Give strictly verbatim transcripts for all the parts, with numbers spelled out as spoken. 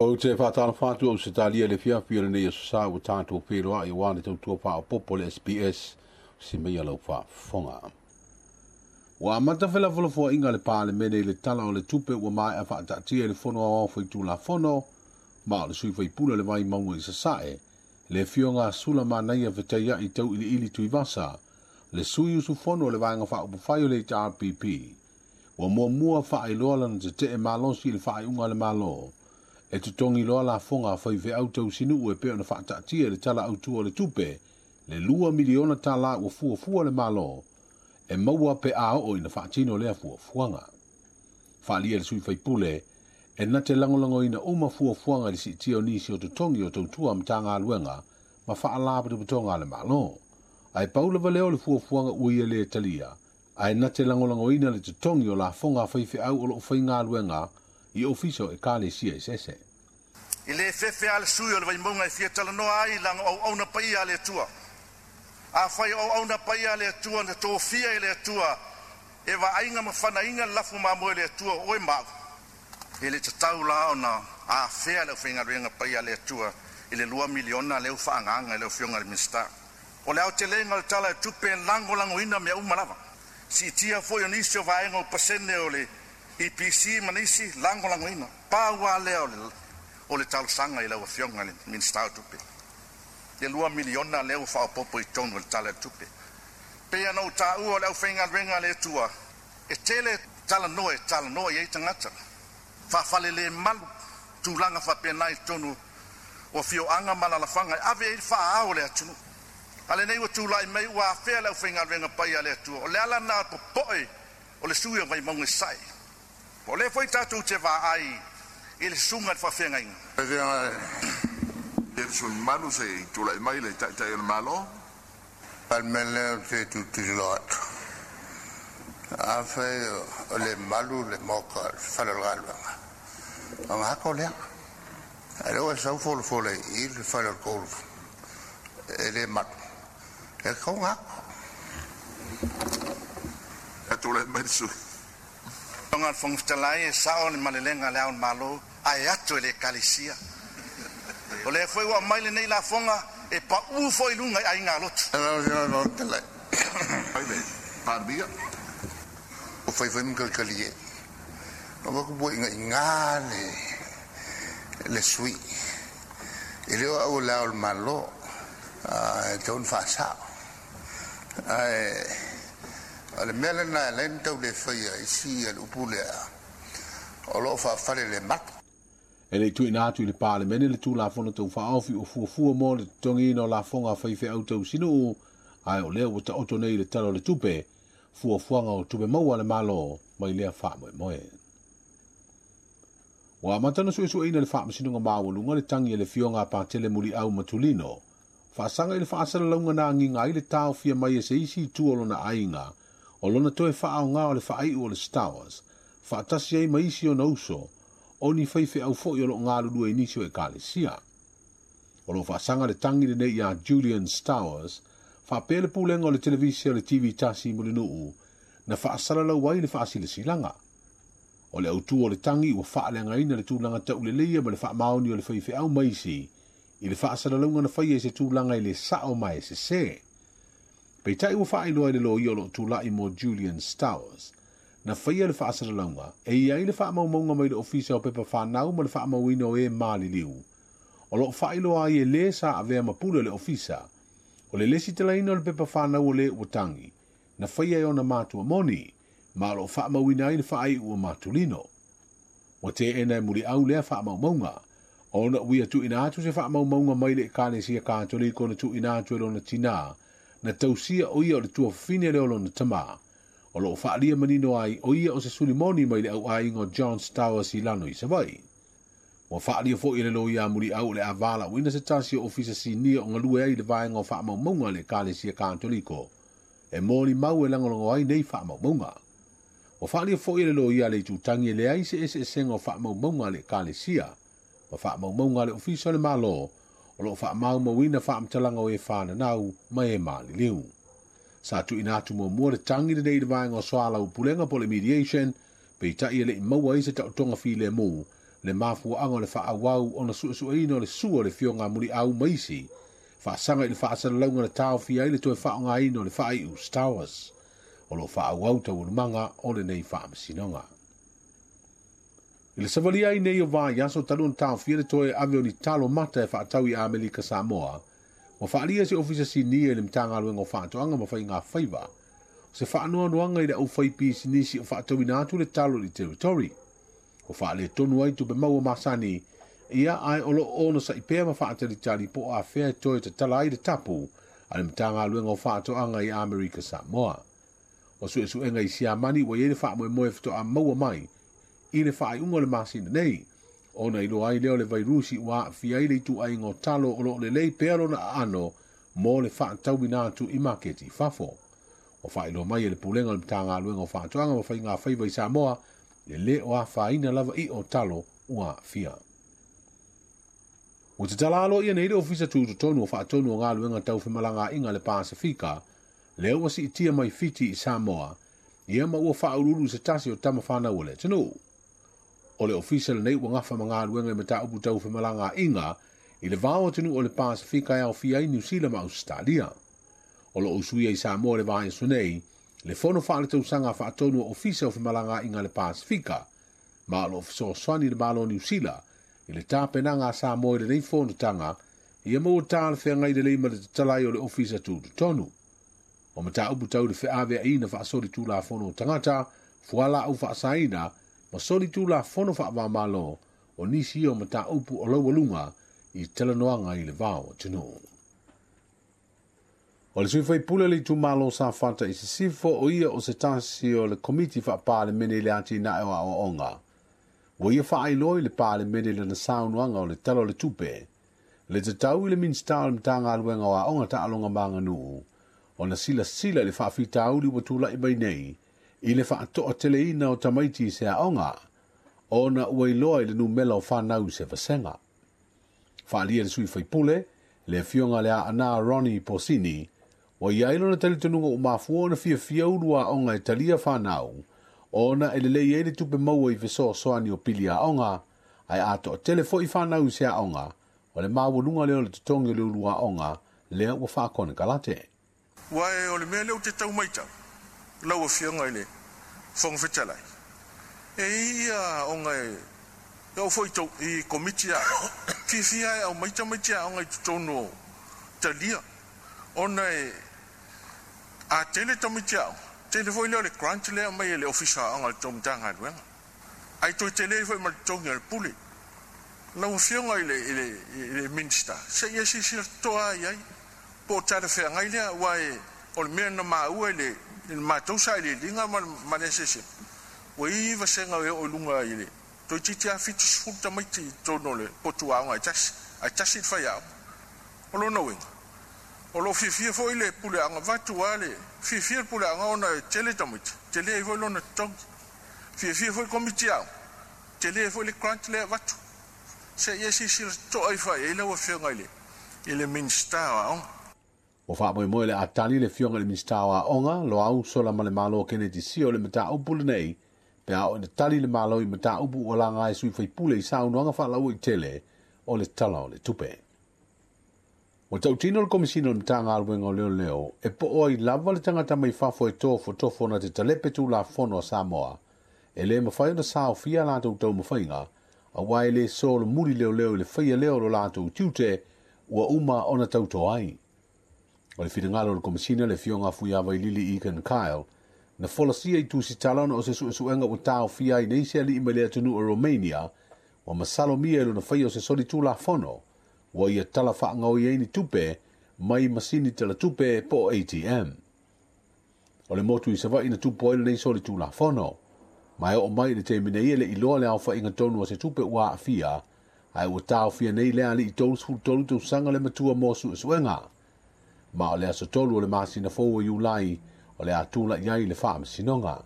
Ou te whātala whātu au se tālia le fiafi o lenei aso sa ua tātou wheroa i wā le tautua whaopopo le S B S si mea lau whaafonga. Ua amata felafolafoaiga le Palemene i le tala o le tupe ua maea faataatia i le fono aoao faitulafono ma o le sui faipule le Vaimauga i Sasae, le afioga Sula Manaia Fetaiai Tauiliili Tuivasa, le sui usufono o le vaega faaupufai o le H R P P. Ua muamua faailoa lana tetee malosi i le faaiuga a le Malo e totogi loa lafoga faifeau tausinuu e pei ona faataatia i le tala autu o le tupe le lua miliona tala ua fuafua le Malo e maua pe a oo ina faatino lea fuafuaga. Faaalia le sui faipule e na te lagolagoina uma fuafuaga i le siitia o nisi o totogi o tautua Matagaluega ma faalapotopotoga a le Malo. Ae pau lava lea o le fuafuaga ua ia lē talia, ae na te lagolagoina le totogi o lafoga faifeau o loo faigaluega i ofisa o ekalesia eseese. I le fefe a le sui o le Vaimauga e fia talanoa ai laga auauna paia a le Atua. Afai o auauna paia a le Atua na tofia e le Atua e vaaiga ma fanaina le lafu mamoe le Atua o oe mau. E le tatau la ona afea le aufaigaluega paia a le Atua i le lua miliona lea ua faaagaaga i le afioga i le Minisita. O le aotelega o le tala o le tupe e lagolagoina mea uma lava. Siitia foi o nisi o vaega o pasene o le E P C ma nisi lagolagoina. Pau lava lea o le, o le talosaga i lau afioga i le Minisita o Tupe. Le lua miliona lea ua faaopoopo i totonu o le tala o le tupe. Pei ona ou taua o le aufaigaluega a le Atua, e tele talanoa e talanoa i ai tagata. Faafalelemalu malu, tulaga faapena i totonu o afioaga ma alaalafaga e ave ai le faaao o le atunuu. A lenei ua tulai mai ua afea le aufaigaluega paia a le Atua. O le ala lena popoe o le sui o Vaimauga i Sasae. O lea foi tatou te vaai i le susuga i le faafeagaiga. Le sui mamalu se i tulai mai le Taitai o le Malo. Palemene o te tutilo atu. Afai o le malu le moka o le fale o le galuega. O ngā lea. A lea ua sau folafole i le fale o le kolu. E le malu. E kau ngā. E tulai mai le sui. Tonga le Fofoga Fetalai e sao le malelega le ao le Malo ae atu e le ekalesia. O lea foi ua aumai lenei lafoga e paū foi i luga i aiga lotu. Lau Afioga i le Fofoga Fetalai. Ai le Palemia. O faifai ma kalikali e. O waku pua inga inga le, le sui. E leo au le ao le Malo, e taun whaasao. Ae, o le mea lena e lain tau le whaia i si a le upu lea, o loo whaafale le matu. E le tuuina atu i le Palemene le Tulafono Taufaaofi o fuafua mo le totogiina o lafoga faifeau tausinuu, ae o lea ua taoto nei i le tala o le tupe, fuafuaga o tupe maua a le Malo mai lea faamoemoe. Ua amata ona suesueina le faamasinoga maualuga le tagi e le afioga a Patele Muliau Matulino, faasaga i le faasalalauga na agiga ai le taofia mai e se isi itu o lona aiga, o lona toe faaoga o le faaiu o le Stowers, faatasi ai ma isi ona uso, o ni faifeau foi o loo galulue i nisi o ekalesia. O loo faasaga le tagi lenei ia Julian Stowers, faapea le pulega o le televise o le T V tasi Mulinuu, na faasalalau ai le faasilasilaga. O le autu o le tagi ua faaleagaina le tulaga tauleleia ma le faamaoni o le faifeau ma isi, i le faasalalauga na faia i se tulaga i le sao ma e sesē. Peitai ua faailoa i le loia o loo tulai mo Julian Stowers, na faia le faasalalauga e iai le faamaumauga mai le ofisa o pepa whanau ma le faamauina o e maliliu. O loo faailoa ai e lē sa avea ma pule o le ofisa, o le lesi talaina o le pepa whanau o le ua tangi, na faia e ona matua moni, ma o loo faamauina ai le faaiu o Matulino. Ua teena e Muliau lea faamaumauga, ona ua ia tuuina atu se faamaumauga mai le ekalesia Katoliko na tuuina atu e lona tinā, na tausia o ia o le tuafafine lea o lona tamā. O loo faalia manino ai o ia o se sulimoni mai le auaiga o John Stowers i lano i Savaii. Ua faalia foi e le loia Muliau o le avalauina se tasi o ofisa sinia o galue ai le vaega o faamaumauga a le ekalesia Katoliko, e molimau e lagolago ai nei faamaumauga. Ua faalia foi e le loia le itutagi e leai se eseesega o faamaumauga a le ekalesia, ma faamaumauga a le ofisa o le Malo, o loo faamaumauina faamatalaga o e whananau ma e maliliu. Sa tuuina atu muamua le tagi lenei i le vaega o soalaupulega po le mediation, peitai e lei maua ai se taotoga filemu Le mafuaʻaga o le faaauau ona suesueina o le sua o le fioga muliau ma isi faasaga i le faasalalauga na taofia ai le toe faaaogaina o le faaiu Stowers. O loo faaauau taualumaga o lenei faamasinoga. I le savalia ai nei o vaiaso talu ona taofia le toe ave o ni talo mata e faatau i Amerika Samoa, ua faalia se ofisa sinia i le Matagaluega o Faatoaga ma Faiga Faiva se faanoanoaga i le aufaipisinisi o faatauina atu le talo i le territory. Ua faaletonu ai tupe maua masani ia ae o loo ona saipea ma faatalitali po o afea e toe tatala ai le tapu a le Matagaluega o Faatoaga i Amerika Samoa. O suesuega i Siamani ua iai le faamoemoe faatoa maua mai i le faaiuga o le masina nei, ona iloa ai lea o le vairusi ua aafia ai le ituaiga o talo o loo lelei pea lona aano mo le faatauina atu i maketi i fafo. Ua faailoa mai e le Pulega o le Matagaluega o Faatoaga ma Faiga Faiva i Samoa e lē o afaina lava i o talo ua aafia. Ua tatala aloaia nei le ofisa tutotonu o faatonu o galuega tau femalagaaiga le Pasifika lea ua siitia mai Fiti i Samoa ia ma ua faauluulu se tasi o tama fanau o le atunuu. O le ofisa lenei ua gafa ma galuega i mataupu tau femalagaaiga i le vao atunuu o le Pasifika e aofia ai Niu Sila ma Ausetalia. O loo usuia i Samoa le vaiaso nei le fono faaletausaga faatonu o ofisa o femalagaaiga le Pasifika, ma o loo fesoasoani le Malo o Niu Sila i le tapenaga a Samoa i lenei fonotaga ia ma ua talafeagai lelei ma le tatalai o le ofisa tutotonu. O mataupu tau le feaveaina faasoli tulafono o tagata, fualaau faasaina ma soli tulafono faavamalo o nisi ia o mataupu o laualuga i talanoaga i le vao atunuu. O le sui faipule le itumalo Safata i Sisifo o ia o se tasi o le komiti faapalemene i le atinae o aoaoga. Ua ia faailoa i le palemene lana saunoaga o le Tala o le Tupe, le tatau i le Minisita o le Matagaluega o Aoga Taaloga ma Aganuu ona silasila i le faafitauli ua tulai mai nei i le faatoateleina o tamaiti i se aoga, ona ua iloa i le numela o fanau i se vasega. Faaalia le sui faipule, le afioga le Aana Ronnie Posini, ua iai lona talitonuga ua mafua ona fiafia ulu aoga e talia fanau, ona e lelei ai le tupe maua i fesoasoani o pili aoga, ae atoatele foi fanau i se aoga, o le maualuga lea o le totogi o le ulu aoga lea ua faakonekarate. Ua e o le mea lea ou te tau maitau, lau Afioga i le Fofoga Fetalai, e i ia aoga e e oo foi i komiti aoga, fiafia e aumai tamaiti aoga i totonu o talia, ona e a tele tamaiti aoga, tele foi lea o le grant lea aumai e le Ofisa o Aoga i le tou Matagaluega, ae toe tele ai foi ma le totogi o le pule. Lau Afioga i le, i le, i le Minisita, se i e silasila totoa i ai, po o talafeagai lea, aua e o le mea na maua i le, i le matou sailiiliga ma le, ma le S S M, ua i ai vasega e oo i luga i le toeitiiti lava fitusefulu tamaiti i totonu o le potu aoga e tasi, ae tasi le faiaoga. O lona uiga, o loo fiafia foi le puleaoga, vaeatu lava le fiafia le puleaoga ona e tele tamaiti, tele ai foi lona totogi. Fiafia foi le komiti aoga, tele ai foi le grant lea e avatu. Se i e silasila totoa ifo i ai lau Afioga i le, i le Minisita o Aoga. Ua faamoemoe le atali le afioga i le Minisita o Aoga, Loau Solamalemalo Keneti Sio o le mataupu lenei, pe a oo ina tali le Malo i mataupu ua laga e sui faipule i saunoaga faalauaitele o le Tala o le Tupe. Ua tautino le Komisina o le Matagaluega o Leoleo e poo ai lava le tagata mai fafo e tofotofo na te talepe tulafono a Samoa, e lē mafai ona saofia latou taumafaiga, auā e lē solomuli leoleo i le faia lea o lo latou tiute ua uma ona tauto ai. O le finagalo o le Komisina le afioga Fuiavailili Egan Kyle, na folasia i tusitala ona o se suesuega ua taofia ai nei se alii mai le atunuu o Romania, ua masalomia i lona faia o se soli tulafono, ua ia tala faagaoi ai ni tupe mai masini talatupe po o A T M. O le motu i Savaii na tupu ai lenei soli tulafono, ma e oo mai i le taimi nei e le iloa le aofaiga tonu o se tupe ua aafia, ae ua taofia nei le alii tolusefulu tolu tausaga le matua mo suesuega. Ma o le aso tolu o le masina fou o Iulai o le a tulai ai le faamasinoga.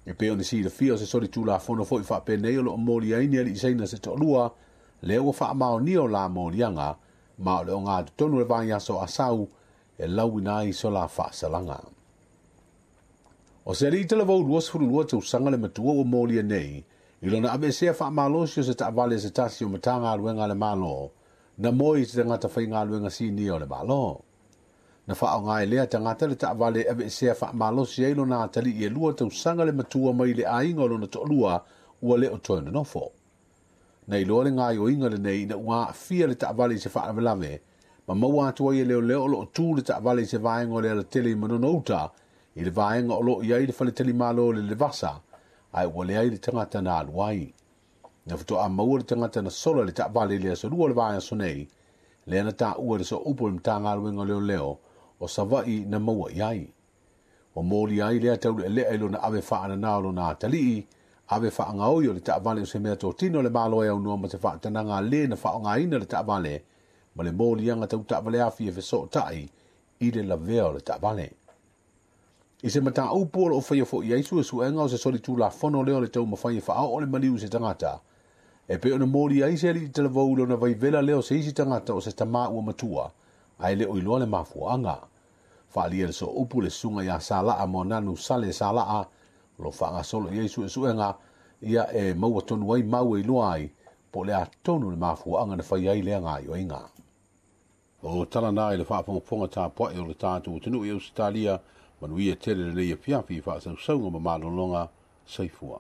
E pei ona silafia o se soli tulafono foi faapenei o loo moli ai ni alii saina se toalua, lea ua faamaonia o la moliaga, ma o le ogatotonu o le vaiaso asau e lauina ai so la faasalaga. O se alii talavou luasefulu lua tausaga le matua ua molia nei I lona aveesea faamalosi o se taavale se tasi o Matagaluega a le Malo, na moe i se tagata faigaluega sinia o le Malo. Na faaaoga e lea tagata le taavale e aveesea faamalosi ai lona atalii e lua tausaga le matua mai le aiga o lona toalua ua le o toe nonofo. Na iloa le gaoioiga lenei ina ua aafia le taavale i se faalavelave, ma maua atu ai e leoleo o loo tu le taavale i se vaega o le alatele i Manono Uta, i le vaega o loo i ai le faletalimalo o le Levasa, ae ua leai le tagata na alu ai. Na faatoa maua le tagata na sola le taavale i le aso lua o le vaiaso nei, lea na taua i le sooupu o le Matagaluega o Leoleo o Savaii na maua i ai. Ua molia ai lea taulealea i lona ave faanana o lona atalii, ave faagaoi o le taavale o se mea totino o le Malo e aunoa ma se faatanaga le na faaaogaina le taavale, ma le moliaga tau taavale afi e fesootai i le lavea o le taavale. I se mataupu o loo faia foi ai suesuega o se solitulafono lea o le taumafai e faaoo le maliu i se tagata, e pei ona moli ai se alii talavou i lona vaivela lea o se isi tagata o se tamā ua matua, ae le o iloa le mafuaaga. Faaalia le sooupu le susuga ia Salaa Moananu Sale Salaa, o lo faagasolo i ai suesuega, ia e maua tonu ai mau e iloa ai, po o le a tonu le mafuaaga na fai ai lea gaoioiga. O tala na i le faafogafoga tapuai o le tatou atunuu i Ausetalia, manuia tele lenei afiafi i faasausauga ma malologa. Soifua.